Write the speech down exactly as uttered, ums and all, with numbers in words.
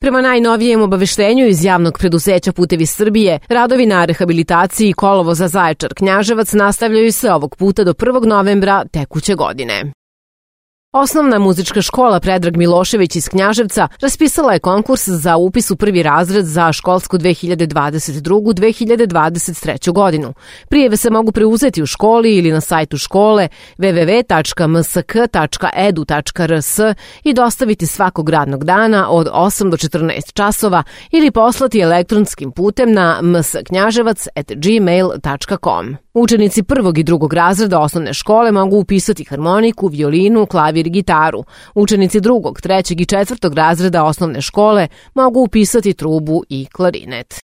Prema najnovijem obaveštenju iz javnog preduzeća Putevi Srbije, radovi na rehabilitaciji kolovoza Zaječar-Knjaževac nastavljaju se ovog puta do prvog novembra tekuće godine. Osnovna muzička škola Predrag Milošević iz Knjaževca raspisala je konkurs za upis u prvi razred za školsku dve hiljade dvadeset druge. dve hiljade dvadeset treće. godinu. Prijeve se mogu preuzeti u školi ili na sajtu škole w w w tačka m s k tačka e d u tačka r s i dostaviti svakog radnog dana od osam do četrnaest časova ili poslati elektronskim putem na m s knjaževac at gmail tačka com. Učenici prvog i drugog razreda osnovne škole mogu upisati harmoniku, violinu, klavir i gitaru. Učenici drugog, trećeg i četvrtog razreda osnovne škole mogu upisati trubu i klarinet.